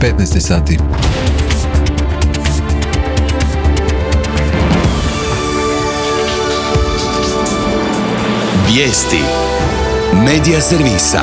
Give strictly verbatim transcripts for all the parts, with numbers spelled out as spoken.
petnaest sati. Vijesti Medija servisa.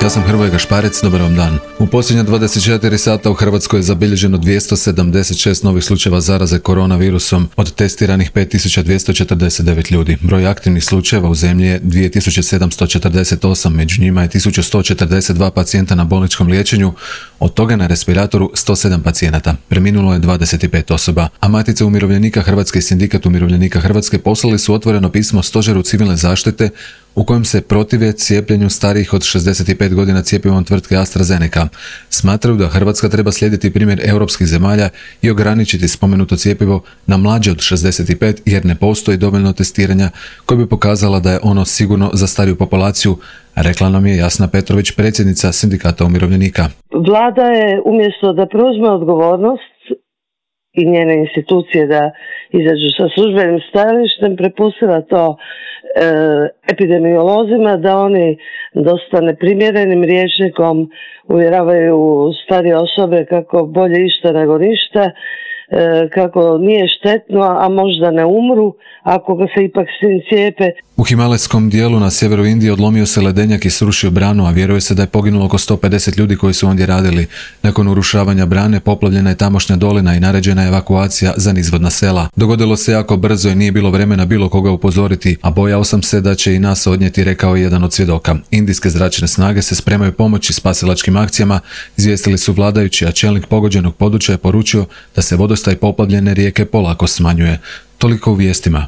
Ja sam Hrvoje Gašparec, dobar vam dan. U posljednja dvadeset četiri sata u Hrvatskoj je zabilježeno dvjesto sedamdeset šest novih slučajeva zaraze koronavirusom, od testiranih pet tisuća dvjesto četrdeset devet ljudi. Broj aktivnih slučajeva u zemlji je dvije tisuće sedamsto četrdeset osam, među njima je tisuću sto četrdeset dva pacijenta na bolničkom liječenju, od toga na respiratoru sto sedam pacijenata. Preminulo je dvadeset pet osoba, a Matica umirovljenika Hrvatske i Sindikat umirovljenika Hrvatske poslali su otvoreno pismo Stožeru civilne zaštite u kojem se protive cijepljenju starijih od šezdeset pet godina cjepivom tvrtke AstraZeneca. Smatraju da Hrvatska treba slijediti primjer europskih zemalja i ograničiti spomenuto cjepivo na mlađe od šezdeset pet jer ne postoji dovoljno testiranja koje bi pokazala da je ono sigurno za stariju populaciju, rekla nam je Jasna Petrović, predsjednica Sindikata umirovljenika. Vlada je umjesto da preuzme odgovornost i njene institucije da izađu sa službenim stajalištem, prepustila to e, epidemiolozima da oni dosta neprimjerenim rječnikom uvjeravaju starije osobe kako bolje išta nego ništa, e, kako nije štetno, a možda ne umru ako ga se ipak s tim cijepe. U himalajskom dijelu na sjeveru Indije odlomio se ledenjak i srušio branu, a vjeruje se da je poginulo oko sto pedeset ljudi koji su ondje radili. Nakon urušavanja brane poplavljena je tamošnja dolina i naređena je evakuacija za nizvodna sela. Dogodilo se jako brzo i nije bilo vremena bilo koga upozoriti, a bojao sam se da će i nas odnijeti, rekao je jedan od svjedoka. Indijske zračne snage se spremaju pomoći spasilačkim akcijama, izvijestili su vladajući, a čelnik pogođenog područja je poručio da se vodostaj poplavljene rijeke polako smanjuje. Toliko u vijestima.